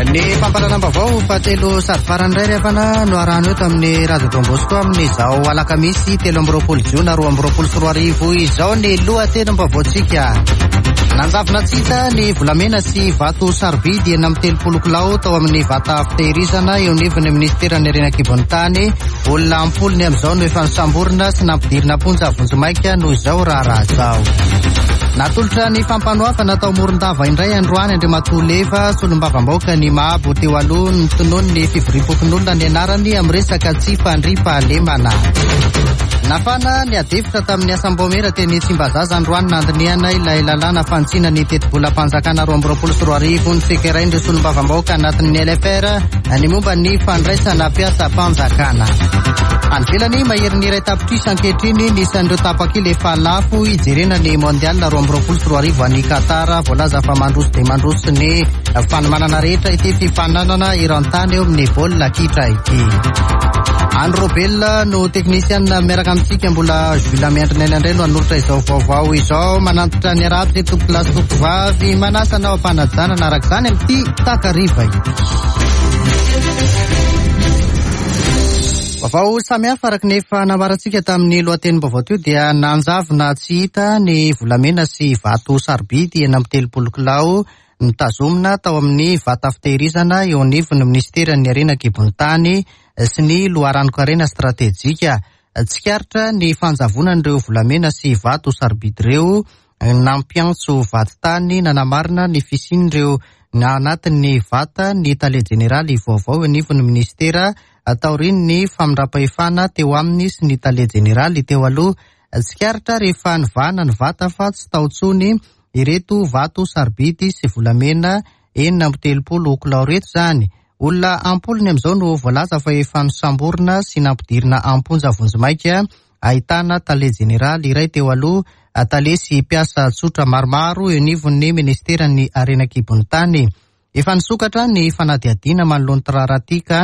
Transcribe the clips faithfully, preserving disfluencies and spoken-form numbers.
Ny fampahalalam-baovao fahatelo sady farany iray rehefa no arahana eto amin'ny Radio Don Bosco amin'izao alakamisy telo amby roapolo jona roa amby roapolo sy roa arivo izao ny lohatenim-baovaontsika. Nanjavona tsy hita ny volamena sy vato sarobidy enina amby telopolo kilao tao amin'ny vata fitehirizana eo anivon'ny ministeran'ny harena an-kibon'ny tany. Olona ampolony amin'izao no efa nosamborina sy nampidirina am-ponja vonjimaika noho izao raharaha izao. Natolotra ny fampanoavana tao Morondava indray androany Andriamatoa Leva, solombavambahoaka ny Mahabo teo aloha, notononin'ny fivoriam-pokonolona ny anarany amin'ny resaka tsy fandriampahalemana. Nafana ny adihevitra tamin'ny asam-baomiera teny Tsimbazaza androany nandinihana ilay lalàna fanitsiana ny tetibolam-panjakana roa amby roapolo sy roa arivo notsikerain'ireo solombavambahoaka anatin'ny L F R ny momba ny fandraisana mpiasam-panjakana. Any ivelany, maherin'ny iray tapitrisa ankehitriny ny isan'ireo tapakila efa lafo hijerena ny mondial roa amby roapolo sy roa arivo any Qatar. Voalaza fa mandroso dia mandroso ny fanomanana rehetra ity fifaninanana eran-tany eo amin'ny baolina kitra ity. Andro Robel no teknisiana miaraka amintsika, mbola Jules Miandrinela indray no hanolotra izao vaovao izao. Manantitra ny arabitra tompokolahy sy tompokovavy, manasa anao am-panajanana araka izany amin'ity takariva ity. Vaovao samihafa araka ny efa nambarantsika tamin'ny lohatenim-baovao teo dia nanjavona tsy hita ny volamena sy vato sarobidy enina amby telopolo kilao notazomina tao amin'ny vata fitehirizana eo anivon'ny ministeran'ny harena an-kibon'ny tany sy ny loharanon-karena stratejika. Tsikaritra ny fanjavonan'ireo volamena sy vato sarobidy ireo, nampiantso vadintany nanamarina ny fisian'ireo anatin'ny vata ny tale jeneraly vaovao eo anivon'ny ministera taorian'ny famindram-pahefana teo aminy sy ny tale jeneraly teo aloha. Tsikaritra rehefa nivahana ny vata fa tsy tao intsony ireto vato sarobidy sy volamena enina amby telopolo kilao ireto izany. Olona ampolony amin'izao no voalaza fa efa nosamborina sy nampidirina am-ponja vonjimaika, ahitana tale jeneraly iray teo aloha, tale sy mpiasa tsotra maromaro eo anivon'ny ministeran'ny harena an-kibon'ny tany. Efa nisokatra ny fanadihadiana manoloana ity raharaha ity ka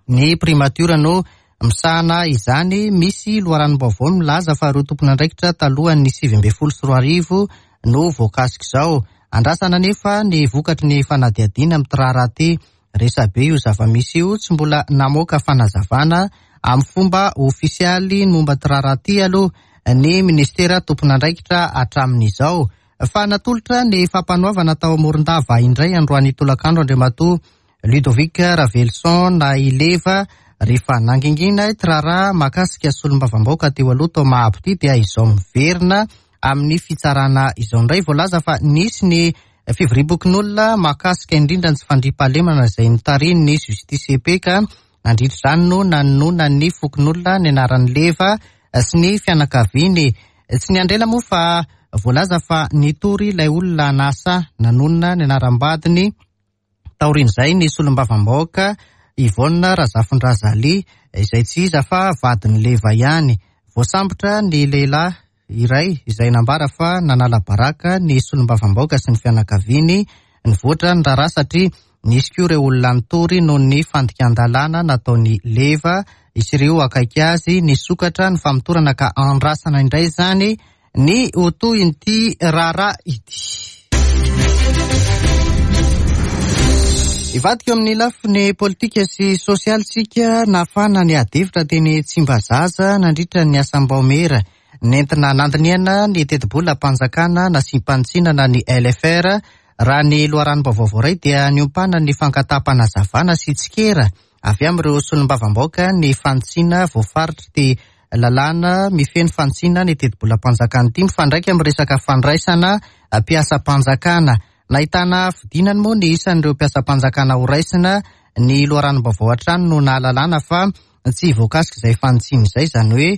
ny primature no misahana izany. Misy loharanom-baovao milaza fa ireo tompon'andraikitra talohan'ny sivy ambin'ny folo sy roa arivo no voakasika izao. Andrasana anefa ny vokatry ny fanadihadiana amin'ity raharaha ity. Resabe io zava-misy io, tsy mbola namoaka fanazavana amin'ny fomba ofisialy momba ity raharaha ity aloha ny ministera tompon'andraikitra hatramin'izao. Fa natolotra ny fampanoavana tao Morondava indray androany tolakandro Andriamatoa Ludovic Ravelison na i Leva rehefa nangingina ity raharaha mahakasika solombavambahoaka teo aloha tao Mahabo ity dia izao miverina amin'ny fitsarana izao indray. Voalaza fa nisy ny fivoriam-pokonolona mahakasika indrindra ny tsy fandriampahalemana izay notarihin'ny Justice E P ka nandritra izany no nanononan'ny fokonolona ny anaran'i Leva sy ny fianakaviany. Tsy niandry ela moa fa voalaza fa nitory ilay olona nasa nanonona ny anaram-badiny. Taorian'izay ny solombavambahoaka Yvonne Razafindrazali izay tsy iza fa vadin'i Leva ihany. Voasambotra ny lehilahy iray izay nambara fa nanala baraka ny solombavambahoaka sy ny fianakaviany. Nivoatra ny raharaha satria nisy koa ireo olona nitory noho ny fandikan-dalàna nataon'i Leva sy ireo akaiky azy. Nisokatra ny famotorana ka andrasana indray izany ny ho tohin'ity raharaha ity. Hivadika eo amin'ny lafiny politika sy sosialy isika. Nafana ny adihevitra teny Tsimbazaza nandritra ny asam-baomiera nentina nandinihana ny tetibolam-panjakana nasiam-panitsinana ny L F R. Raha ny loharanom-baovao voaray dia niompana ny fangataham-panazavana sy tsikera avy amin'ireo solombavambahoaka ny fanitsiana voafaritry ity lalàna mifehy ny fanitsiana ny tetibolam-panjakana ity mifandraika amin'ny resaka fandraisana mpiasam-panjakana. Nahitana fidinany moa ny isan'ireo mpiasam-panjakana ho raisina. Ny loharanom-baovao hatrany no nahalalana fa tsy voakasika izay fanitsiana izay, izany hoe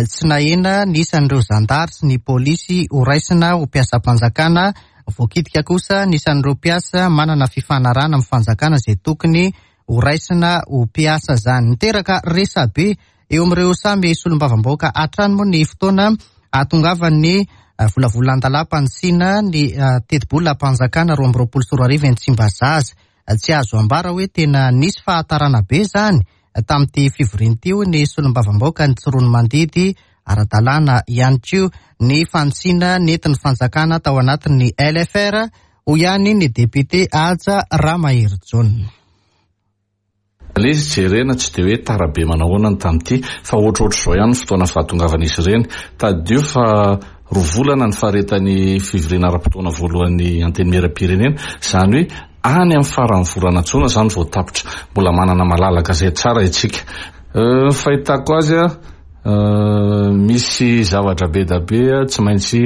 tsy nahena ny isan'ireo zandary sy ny polisy ho raisina ho mpiasam-panjakana. Voakitika kosa ny isan'ireo mpiasa manana fifanarahana amin'ny fanjakana izay tokony ho raisina ho mpiasa izany. Niteraka resabe eo amin'ireo samy solombavambahoaka hatrany moa ny fotoana ahatongavan'ny volavolan-dalàm-panitsiana ny tetibolam-panjakana roa amby roapolo sy roa arivo eny Tsimbazaza. Tsy azo ambara hoe tena nisy fahatarana be izany tamin'ity fivoriana ity, hoy ny solombavambahoaka ny Tsiroanomandidy. Ara-dalàna ihany koa ny fanitsiana nentin'ny fanjakana tao anatin'ny L F R, hoy ihany ny député Haja Ramaherijaona. Ilay izy jerena tsy dia hoe tara be manahoana ny tamin'ity, fa ohatrohatr' izao ihany ny fotoana fahatongavan'izy ireny. Tadidio fa roa volana ny faharetan'ny fivoriana ara-potoana voalohan'ny Antenimieram-pirenena, izany hoe any amin'ny faran'ny volana jona izany vao tapitra. Mbola manana malalaka izay tsara isika. Ny fahitako azy, misy zavatra be dia be tsy maintsy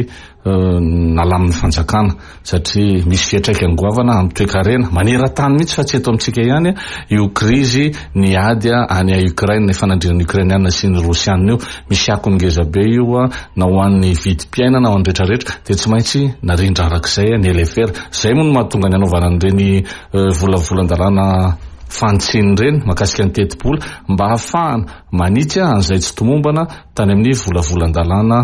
nalamin'ny fanjakana, satria misy fiantraikany goavana amin'ny toekarena maneran-tany mihitsy, fa tsy eto amintsika ihany io krizy ny ady any Ukraine, ny fanandrinana Ukrainiana sy ny Rosiana io. Misy akony ngeza be io na ho an'ny vidim-piainana, ho an'ny rehetrarehetra, dia tsy maintsy narindra arak'izay ny L F R. Izay moa no mahatonga ny anaovana an'ireny volavolan-dalàna fantsiny ireny mahakasika ny tetibola, mba hahafahana manitsy an'izay tsy tomombana tany amin'ny volavolan-dalàna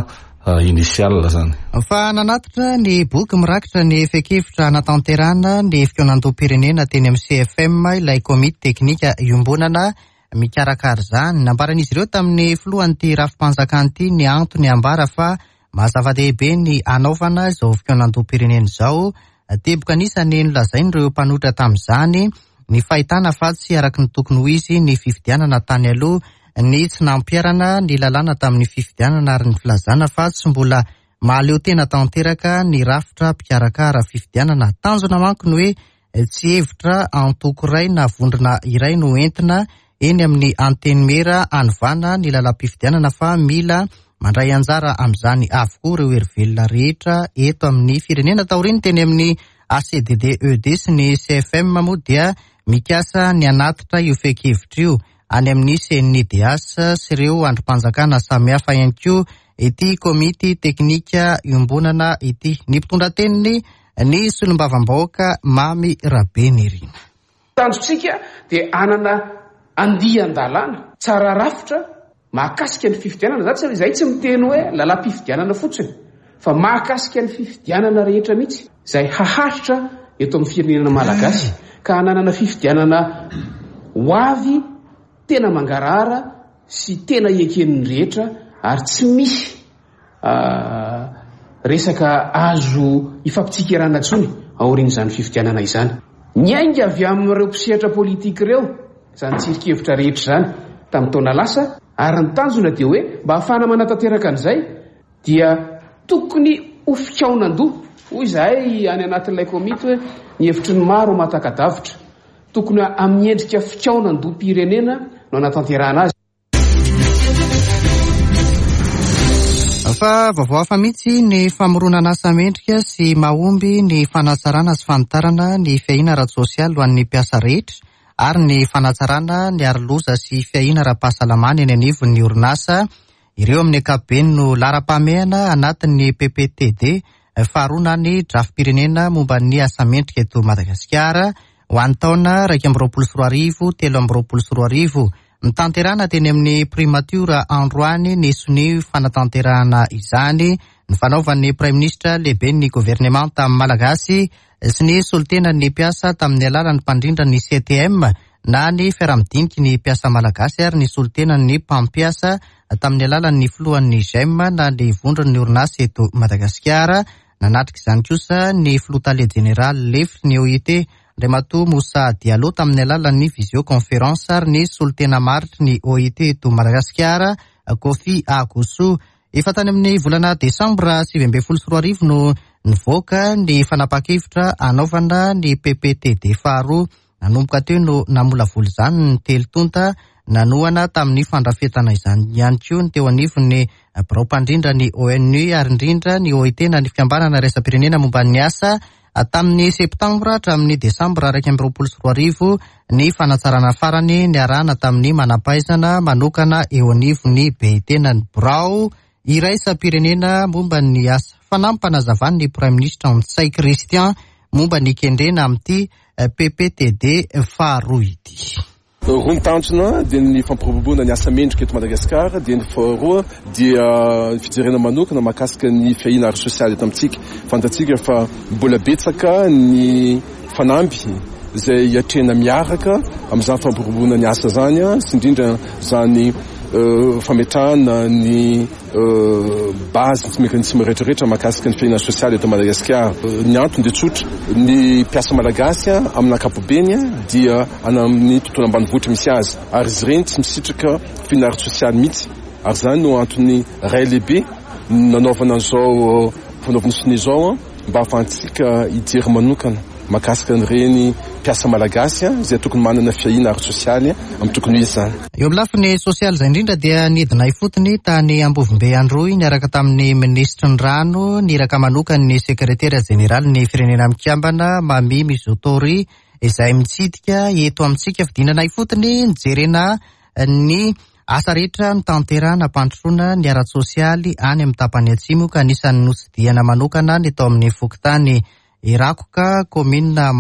initial zany. Fa nanatitra ny boky mirakitra ny fehi-kevitra hanatanterahana ny fikaonandoham-pirenena teny amin'ny C F M ilay komity teknika iombonana mikarakara izany. Nambaran'izy ireo tamin'ny filohan'ity rafi-panjakana ity ny antony ambara fa maha-zava-dehibe ny hanaovana izao fikaonandoham-pirenena izao. Teboka anisany nolazain'ireo mpanohitra tamin'izany ny fahitana fa tsy araka ny tokony ho izy ny fifidianana tany aloha, ny tsy nampiharana ny lalàna tamin'ny fifidianana ary ny filazana fa tsy mbola mahaleo tena tanteraka ny rafitra mpikarakara fifidianana. Tanjona manko ny hoe tsy hevitra antoko iray na vondrona iray no entina eny amin'ny antenimiera hanovana ny lalam-pifidianana, fa mila mandray anjara amin'izany avokoa ireo herivelona rehetra eto amin'ny firenena. Taorian'ny teny amin'ny A C D D E D sy ny C F M moa dia mikasa ny hanatitra io fehi-kevitra io any amin'ny C N I D H sy ireo andrim-panjakana samihafa ihany koa ity komity teknika iombonana ity. Ny mpitondra teniny ny solombavambahoaka Mamy Rabenirina. Tanjontsika dia hanana andian-dalàna tsara rafitra mahakasika ny fifidianana. Za tsy, izay tsy miteny hoe lalam-pifidianana fotsiny, fa mahakasika ny fifidianana rehetra mihitsy izay haharitra eto amin'ny firenena malagasy, ka hananana fifidianana ho avy tena mangarahara sy tena eken'ny rehetra, ary tsy misy, ah, resaka azo ifampitsikerana intsony aorian'izany fifidianana izany. Niainga avy amin'ireo mpisehatra politika ireo izany tsirikevitra rehetra izany tamin'ny taona lasa, ary ny tanjona dia hoe mba hahafahana manatanteraka an'izay dia tokony ho fikaonan-doha. Hoy izahay any anatin'ilay komity hoe ny hevitry ny maro mahataka-davitra, tokony amin'ny endrika fikaonan-doham-pirenena no anatanterahana azy. Fa vaovao hafa mihitsy ny famoronana asa mendrika sy mahomby ny fanatsarana sy fanitarana ny fiahiana ara-tsosialy ho an'ny mpiasa rehetra ary ny fanatsarana ny aroloza sy fiahiana ara-pahasalamana eny anivon'ny orinasa. Ireo amin'ny ankapobeny no laharam-pahamehana anatin'ny P P T D faharoa na ny drafi-pirenena momba ny asa mendrika eto Madagasikara ho an'ny taona iraika amby roapolo sy roa arivo, telo amby roapolo sy roa arivo. Nitanterana teny amin'ny primatiora androany ny sonia fanatanterahana izany ny fanaovan'ny praiminisitra lehiben'ny governemanta malagasy sy ny solontenan'ny mpiasa tamin'ny alalan'ny mpandrindra ny C T M na ny fiaraha-midiniky ny mpiasa malagasy ary ny solontenan'ny mpampiasa tamin'ny alalan'ny filohan'ny G E M na ny vondron'ny orinasa eto Madagasikara. Nanatrika izany kosa ny filoha tale jeneraly lefitry ny O I T Andriamatoa Moussa Diallo tamin'ny alalan'ny visioconférence ary ny solontena maritry ny O I T eto Madagasikara Kofi Agoso. Efa tany amin'ny volana desambra sivy ambin'ny folo sy roa arivo no nivoaka ny fanapahan-kevitra hanaovana ny P P T D faharoa. Nanomboka teo no namolavola izany ny telo tonta nanohana tamin'ny fandrafetana izany ihany koa ny teo anivon'ny birao mpandrindra ny O N U ary indrindra ny O I T na ny fikambanana iraisam-pirenena momba ny asa. Tamin'ny septambra hatramin'ny desambra iraika amby roapolo sy roa arivo ny fanatsarana farany niarahana tamin'ny manam-pahaizana manokana eo anivon'ny B I T na ny birao iraisam-pirenena momba ny asa. Fanampanazavan'ny praiminisitra Ntsay Christian momba ny kendrena amin'ity P P T D faharoa ity. Roa ny tanjona dia ny fampiroboroboana ny asa mendrika eto Madagasikara, dia ny faharoa dia ny fijerena manokana mahakasika ny fiahiana ara-sosialy eto amintsika. Fantatsika fa mbola betsaka ny fanamby izay hiatrehana miaraka amin'izany fampiroboroboana ny asa izany, sy indrindra izany fametrahana ny base sy mécanisme rehetrarehetra mahakasika ny fiahiana sosialy eto Madagasikara. Ny antony dia tsotra: ny mpiasa malagasy amin'ny ankapobeny dia any amin'ny tontolo ambanivohitra misy azy, ary izy ireny tsy misitraka fiahiana ara-tsosialy mihitsy, ary zany no antony ray lehibe nanaovana an'izao fanaovana sonia izao, mba ahafahantsika hijery manokana mahakasika an'ireny mpiasa malagasy izay tokony manana fiahiana ara-tsosialy amin'ny tokony ho izy zany. Eo amin'ny lafiny sosialy izay indrindra dia nidina ifotony tany Ambovombe Androy niaraka tamin'ny minisitry ny rano niraka manokana ny sekretera jeneraly ny Firenena Mikambana Mami Mizutori izay mitsidika eto amintsika. Fidinana ifotony nijerena ny asa rehetra notanterahana hampandrosoana ny ara-tsosialy any amin'ny tapany atsimo, ka anisan'ny notsidihana manokana ny tao amin'ny fokontany Irakoka, kaominina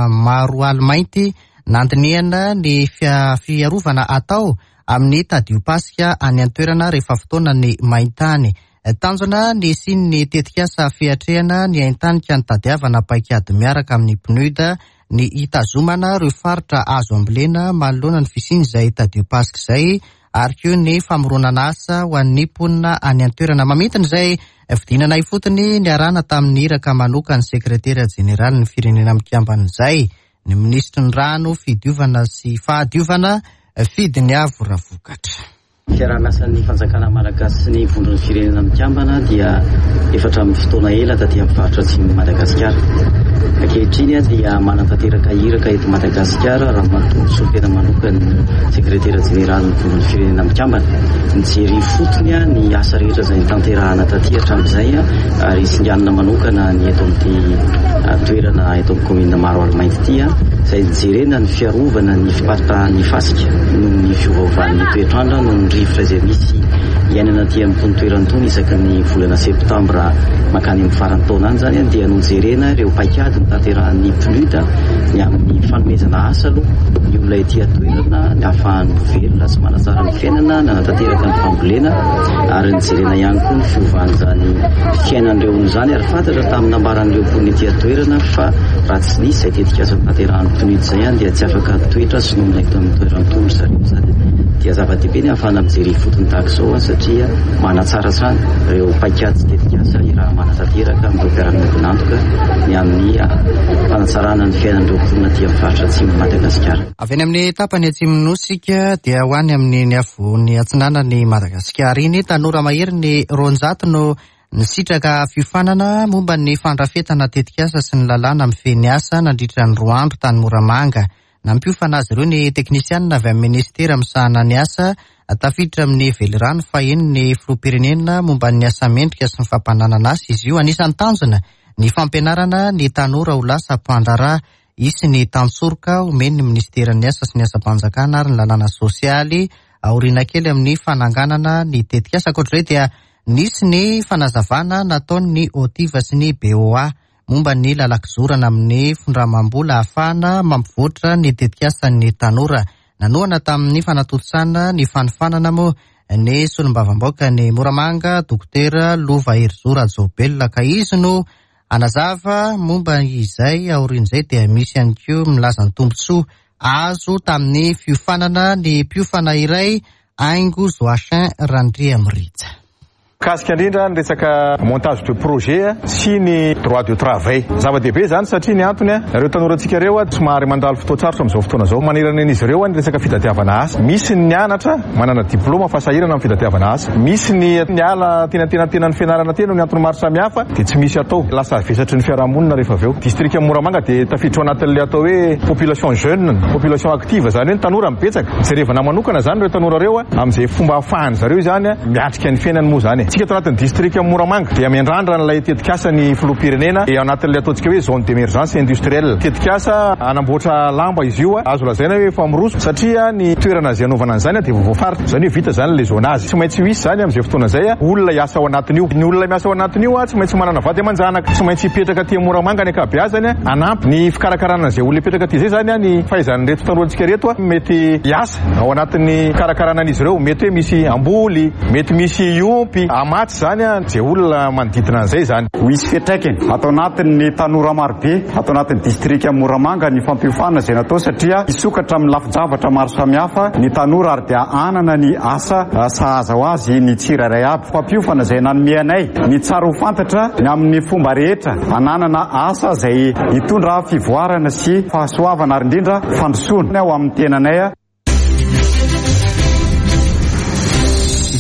Maroalimainty, nandinihana ny fiarovana atao amin'ny tadiopasika any an-toerana rehefa fotoana ny maintany. Tanjona ny hisian'ny tetikasa fiatrehana ny haintany ka nitadiavana paikady miaraka amin'ny P N U D ny hitazomana ireo faritra azo ambolena manoloana ny fisian'izay tadiopasika izay, ary koa ny famoronana asa ho an'ny mponina any an-toerana. Mamintina izay fidinana ifotony niarahana tamin'ny iraka manokana ny sekretera jeneraly ny Firenena Mikambana izay ny minisitry ny rano, fidiovana sy fahadiovana, Fidiniavo Ravokatra. Fiaraha-miasan'ny fanjakana malagasy sy ny Vondron'ny Firenena Mikambana dia efa hatramin'ny fotoana ela taty amin'ny faritra atsimon'i Madagasikara. Ankehitriny dia manatanteraka iraka eto Madagasikara ramatoa solontena manokana ny sekretera jeneraly ny Vondron'ny Firenena Mikambana, nijery ifotony ny asa rehetra izay nitanterahana taty hatramin'izay, ary singanina manokana ny eto amin'ity toerana eto amin'ny kaominina Maroalimainty ity, izay nijerena ny fiarovana ny fiparitahan'ny fasika noho ny fiovaovan'ny toetrandro, noho ny rivotra izay misy iainana aty amin'ny toerana itony isaky ny volana septambra mankany amin'ny faran'ny taona any. Zany dia nojerena ireo paikady notanterahan'ny P N U D ny amin'ny fanomezana asa aloha ny olona ety an-toerana, ny ahafahany velona sy manatsara ny fiainana, nanatanteraka ny fambolena, ary nijerena ihany koa ny fiovan'izany fiainan'ireo olona izany. Ary fantatra tamin'ny nambaran'ireo mponina ety an-toerana fa raha tsy nisy izay tetikasa notanterahan'ny P N U D izay dia tsy afaka toetra sy nonina eto amin'ny toerana itony zareo. Zany dia zava-dehibe ny ahafahana mijery ifotony tahaka izao, satria manatsara hatrany ireo paikady sy tetikasa raha manatanteraka amin'ireo mpiara-miombon'antoka ny amin'ny fanatsarana ny fiainan'ireo mponina aty amin'ny faritra atsimo Madagasikara. Avy any amin'ny tapany atsimon'ny nosika dia ho any amin'ny ny afovoany atsinanany Madagasikara iny. Tanora mahery ny roanjato no nisitraka fiofanana momba ny fandrafetana tetikasa sy ny lalàna mifehy ny asa nandritra ny roa andro tany Moramanga. Nampiofana azy ireo ny teknisianina avy amin'ny ministera misahana ny asa, tafiditra amin'ny velirano fahenin'ny filoham-pirenena momba ny asa mendrika sy ny fampananana asa izy io. Anisan'ny tanjona ny fampianarana ny tanora ho lasa mpandraharaha. Isy ny tantsoroka omen'ny ministeran'ny asa sy ny asam-panjakana ary ny lalàna sosialy aoriana kely amin'ny fananganana ny tetikasa. Ankoatr'izay dia nisy ny fanazavana nataon'ny OTIVA sy ny B O A momba ny lalan-kizorana amin'ny findramam-bola ahafahana mampivoatra ny tetikasan'ny tanora. Nanohana tamin'ny fanatontosana ny fanofanana moa ny solombavambahoaka ny Moramanga, Dokotera Lova Herizo Rajaobelina, ka izy no anazava momba izay. Aorian'izay dia misy ihany koa milaza ny tombontsoa azo tamin'ny fiofanana ny mpiofana iray, Aingo Joachin Randriamirija. Mikasika indrindra ny resaka montage de projet sy ny droit de travail. Zava-dehibe zany satria ny antony a, ireo tanorantsika ireo a somary mandalo fotoan-tsarotra amin'izao fotoana zao manerana an'izy ireo a ny resaka fitadiavana asa. Misy ny nianatra manana diplôma fa sahirana amin'ny fitadiavana asa, misy ny niala tenatenatena ny fianarana tena ny antony maro samihafa dia tsy misy atao, lasa vesatry ny fiarahamonina rehefa avy eo. Distrika Moramanga dia tafiditra ao anatin'le atao hoe population jeune, population active, zany hoe ny tanora mibetsaka. Jerevana manokana zany ireo tanora reo a amin'izay fomba ahafahany zareo zany a miatrika ny fiainany moa zany. Tsika ato anatin'ny distrika Moramanga dia miandrandra n'ilay tetikasa ny filoham-pirenena e anatin'ilay ataontsika hoe zone d'émergence industrielle, tetikasa anamboatra lamba izy io. Azo lazaina hoe efa miroso satria ny toerana zay anaovana an'izany dia voafaritra, zany hoe vita zany le zonage. Tsy maintsy misy zany amin'izay fotoana zay a olona hiasa ao anatin'io. Ny olona miasa ao anatin'io a tsy maintsy manana vady aman-janaka, tsy maintsy hipetraka aty Moramanga ny ankabeazany a anampy ny fikarakarana an'izay olona hipetraka aty. Zay zany a ny fahaizan'ireto tanorantsika reto a mety hiasa ao anatin'ny fikarakarana an'izy ireo, mety hoe misy amboly, mety misy iompy. Hamatsy izany izay olona manodidina an'izay izany. Ho hisy fiantraikany ato anatin'ny tanora marobe ato anatin'ny distrika Moramanga ny fampiofanana izay natao, satria hisokatra amin'ny lafin-javatra maro samihafa ny tanora ary dia hanana ny asa sahaza ho azy ny tsirairay aby. Fampiofana izay nanome anay ny tsara ho fantatra ny amin'ny fomba rehetra hananana asa izay hitondra fivoarana sy fahasoavana ary indrindra fandrosoana ao amin'ny tenanay.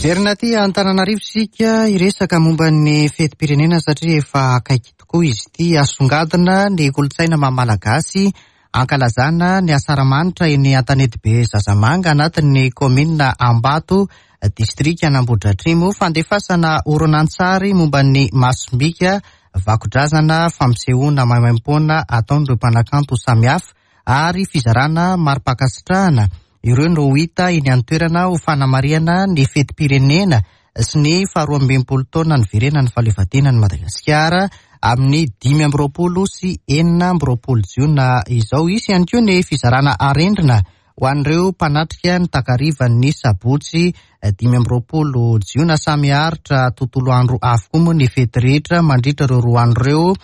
Hiverina aty Antananarivo isika hiresaka momba ny fetim-pirenena satria efa akaiky tokoa izy ity. Asongadina ny kolontsaina maha malagasy ankalazana ny asaramanitra eny Antanetibe Zazamanga anatin'ny kaominina Ambato, distrika Anambohidratrimo. Fandefasana horonantsary momba ny masombika, vakodrazana, fampisehoana maimaimpoana ataon'ireo mpanakanto samihafa ary fizarana mari-pankasitrahana. Ireo no hita eny an-toerana ho fanamarihana ny fetim-pirenena sy ny faharoa amby enimpolo taona niverenan'ny fahaleovantenan'i Madagasikara amin'ny dimy amby roapolo sy enina amby roapolo jiona izao. Hisy ihany koa ny fizarana arendrina ho an'ireo mpanatrika ny takarivan'ny sabotsy dimy amby roapolo jiona. Samy haharitra tontolo andro avokoa moa ny fety rehetra mandritra ireo roa andro ireo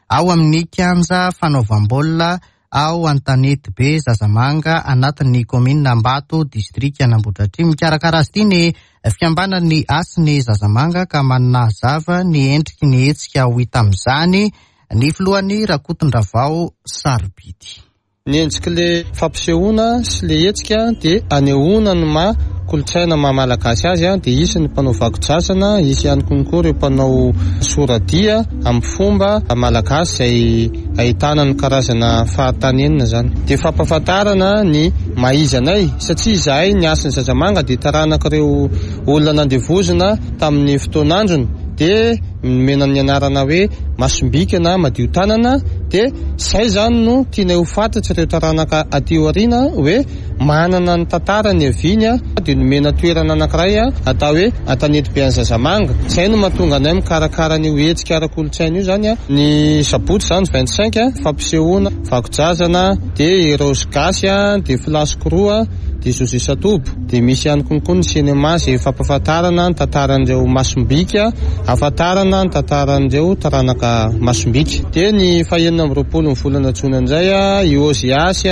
ao amin'ny kianja fanaovam-baolina ao Antanetibe Zazamanga anatin'ny kaominina Ambato, distrika Anambohidratrimo. Mikarakara azy ity ny fikambanan'ny Hasin'ny Zazamanga ka manazava ny endriky ny hetsika ho hita amin'izany ny filohan'ny Rakotondravao Sarobidy. Ny endrik'ilay fampisehoana sy ilay hetsika dia anehoana ny maha kolontsaina maha malagasy azy. Dia hisy ny mpanao vakodrazana, hisy ihany koa ireo mpanao soradia amin'ny fomba malagasy izay ahitana ny karazana fahatanenina izany. Dia fampahafantarana ny maha izy anay, satria izahay ny Hasin'ny Zazamanga dia taranak'ireo olona nandevozina tamin'ny fotoan'androny, dia nomena ny anarana hoe masombika na madio tanana. Dia izay izany no tianay ho fantatry ireo taranaka aty aoriana hoe manana ny tantara ny aviany, dia nomena toerana anankiray atao hoe Antanetibe an'i Zazamanga. Izay no mahatonga anay mikarakara an'io hetsika ara-kolontsaina io zany. Ny sabotsy izany vingt cinq fampisehoana vakodrazana, dia ireo gasy, dia flash roa, dia José Satobo, dia misy ihany koa ny cinéma izay fampahafantarana ny tantaran'ireo masombika, ahafantarana ny tantaran'ireo taranaka masombika. Dia ny fahenina amby roapolo ny volana jona indray i Oziasy,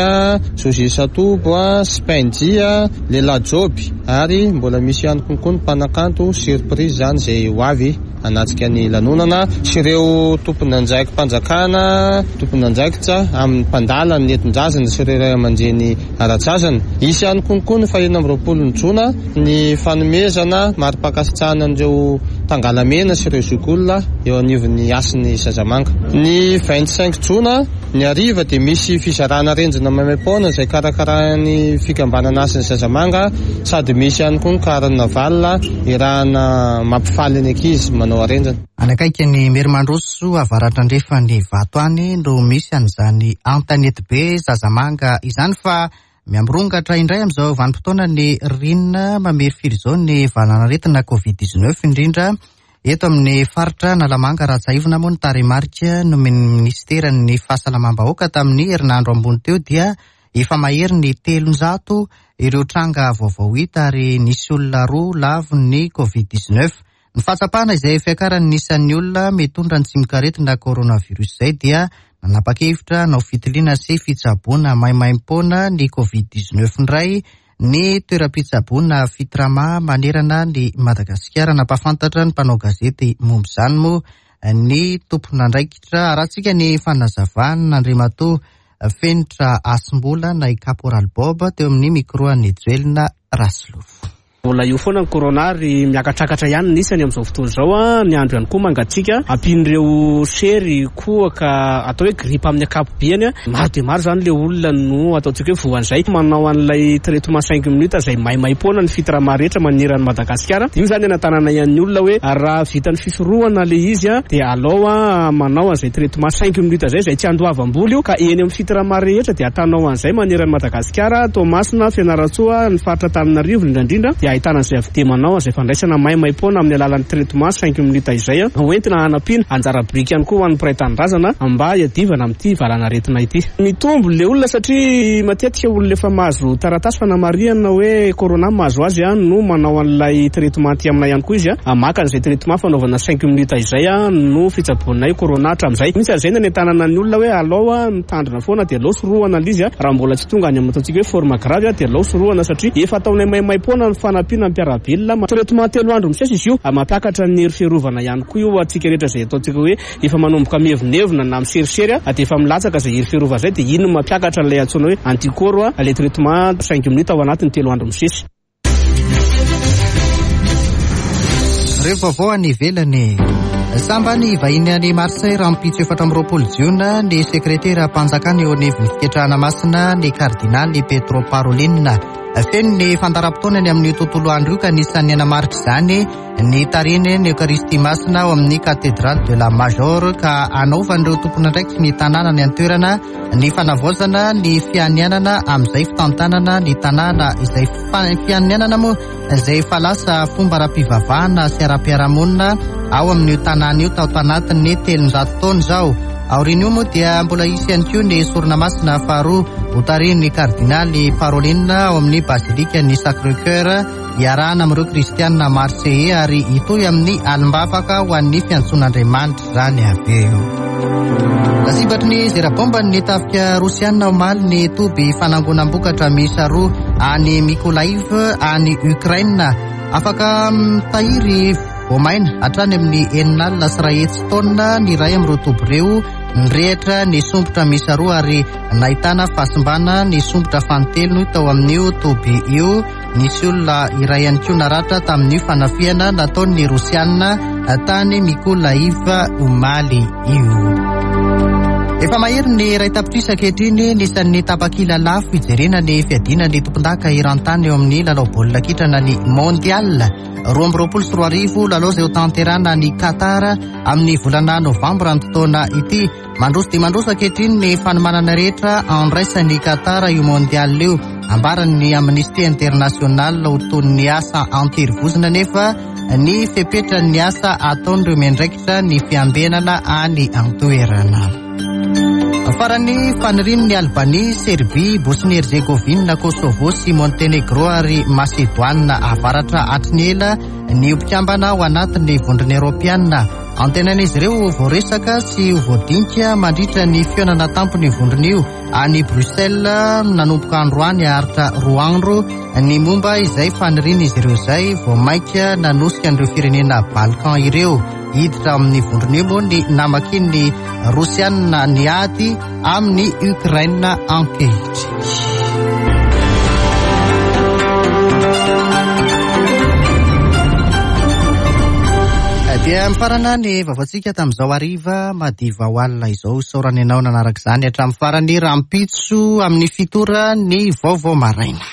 José Satobo, Spenji, Lehilahy Joby, ary mbola misy ihany koa ny mpanakanto surprise zany izay ho avy hanatrika ny lanonana sy ireo tompon'andraiki-panjakana, tompon'andraikitra amin'ny mpandala ny nentin-drazana sy ireo ray aman-dreny ara-drazana. Hisy ihany koa ny fahenina amby roapolo ny jona ny fanomezana mari-pankasitrahana an'ireo tangalamena sy ireo zokiolona eo anivon'ny Hasin'ny Zazamanga. Ny vingt cinq jona ny hariva dia misy fizarana arendrina maimaimpoana izay karakarain'ny fikambanana Hasin'ny Zazamanga, sady misy ihany koa ny carnaval irahana mampifaly ny ankizy manao arendrina. Any akaiky ny Merimandroso avaratra andrefan'ny Vato any no misy an'izany Antanetibe Zazamanga izany, fa miamborongatra indray amin'izao vanim-potoana ny ririnina mamirifiry izao ny valanaretina covid dix-neuf, indrindra eto amin'ny faritra Analamanga. Raha tsiahivina moa ny tarehimarika nomen'ny ministeran'ny fahasalamam-bahoaka tamin'ny herinandro ambony teo dia efa mahery ny telonjato ireo tranga vaovao hita ary nisy olona roa lavon'ny covid dix-neuf. Ny fahatsapana izay fiakaran'ny isan'ny olona mitondra ny tsimokaretina coronavirus izay dia nanapa-kevitra hanao fitiliana sy fitsaboana maimaimpoana ny covid dix-neuf indray ny toeram-pitsaboana Fitrama manerana ny Madagasikara. Nampahafantatra ny mpanao gazety momba izany moa ny tompon'andraikitra. Arahantsika ny fanazavana Andriamatoa Fenitra Asimbola na i Caporal Bob teo amin'ny micro an'i Joelina Rasolofo. Mbola eo foana ny corona ary miakatrakatra ihany ny isany amin'izao fotoana izao. Ny andro ihany koa mangatsiaka, ampian'ireo sery kohaka atao hoe grippe amin'ny ankapobeny. Maro dia maro izany ilay olona no ataontsika hoe voan'izay. Manao an'ilay traitement cinq minutes izay maimaimpoana ny Fitrama rehetra manerana an'i Madagasikara. Io izany anatanana ihany ny olona hoe raha vita ny fisorohana ilay izy dia alao manao an'izay traitement cinq minutes izay, izay tsy andoavam-bola io, ka eny amin'ny Fitrama rehetra dia atanao an'izay manerana an'i Madagasikara, Toamasina, Fianarantsoa, ny faritra Antananarivo indrindra indrindra dia Ahitana an'izay avy dia manao izay fandraisana maimaimpoana amin'ny alalan'ny traitement cinq minutes izay hoentina hanampiana anjara biriky ihany koa ho an'ny mpiray tanindrazana mba hiadivana amin'ity valanaretina ity. Mitombo le olona satria matetika olona efa mahazo taratasy fanamarihana hoe corona mahazo azy no manao an'ilay traitement aty aminay ihany koa izy, maka an'izay traitement fanaovana cinq minutes izay no fitsaboanay corona hatramin'izay. Misy an'izay nanentanana ny olona hoe alao mitandrina foana dia alao sorohana ilay izy, raha mbola tsy tonga any amin'ny ataontsika hoe forme grave dia alao sorohana satria efa ataonay maimaimpoana ny fanampiana ny mpiara-belona. Traitement telo andro misesy izy io, mampiakatra ny hery fiarovana ihany koa io antsika rehetra izay ataontsika hoe efa manomboka mievonevona na miserisery dia efa milatsaka izay hery fiarovana izay, dia iny no mampiakatra ilay antsoina hoe anticorps ilay traitement cinq minutes ao anatin'ny telo andro misesy. Ireo vaovao any ivelany. Sambany vahiny any Marseille rahampitso efatra amby roapolo jiona ny sekretera-mpanjakana eo anivon'ny fiketrahana masina ny kardinaly Pietro Parolin. Feno ny fandaharam-potoana ny amin'io tontolo andro io ka anisan'ny anamarika izany ny tarihiny ny Eucharistie masina ao amin'ny Cathédrale de la Major ka anaovan'ireo tompon'andraikitry ny tanàna ny an-toerana ny fanavaozana ny fianianana amin'izay fitantanana ny tanàna izay fianianana moa izay efa lasa fomba ara-pivavahana sy ara-piarahamonina ao amin'io tanàna io tao anatin'ny telonjato taona izao. Aorian'io moa dia mbola hisy ihany koa ny sorona masina faharoa hotarihin'ny kardinaly Parolin ao amin'ny Basilique ny Sacré-Cœur hiarahana amin'ireo kristianina Marseillais ary hitohy amin'ny alim-bavaka ho an'ny fiantsoan'Andriamanitra izany avy eo. Lasibatry ny zera-bomba ny tafika rosianina omaly ny toby fanangonam-bokatra miisa roa any Mykolaiv any Ukraine. Afaka mitahiry voamaina hatrany amin'ny enina alina sy iray hetsy taonina ny iray amin'ireo toby ireo. Nirehitra ny sombotra miisa roa ary nahitana fahasimbana ny sombotra fanintelony tao amin'io toby io. Nisy olona iray ihany koa naratra tamin'io fanafihana nataon'ny rosianina tany Mykolaiv omaly io. Efa mahery ny iray tapitrisa ankehitriny ny isan'ny tapakila lafo hijerena ny fiadiana ny tompondaka eran-tany eo amin'ny lalao baolina kitra ny Mondial roa amby roapolo sy roa arivo, lalao izay ho tanterahana ny Qatar amin'ny volana novambra ny taona ity. Mandroso dia mandroso ankehitriny ny fanomanana rehetra andraisan'ny Qatar io Mondial io. Ambaran'ny Amnesty International ho toy ny asa anterivozona nefa ny fepetran'ny asa ataon'ireo miandraikitra ny fiambenana any an-toerana. Farany fanirian'ny Albanie, Serbie, Bosnie-Herzegovina, Kosovo sy Montenegro ary Macédoine avaratra hatry ny ela ny mpikambana ao anatin'ny vondrona eoropeana. Antenain'izy ireo voaresaka sy voadinika mandritra ny fihaonana tampon'ny vondrona io any Bruxelles nanomboka androany haharitra roa andro ny momba izay fanirian'izy ireo izay vao mainka nanosika an'ireo firenena Balkan ireo hiditra amin'ny vondrona io moa ny namakian'ny Rosianina ny ady amin'ny Ukraine ankehitriny. Dia mifarana ny vaovaontsika tamin'izao hariva madiva ho alina izao. Isaorana ianao nanaraka izany hatramin'ny farany. Rahampitso amin'ny fito ora ny vaovao maraina.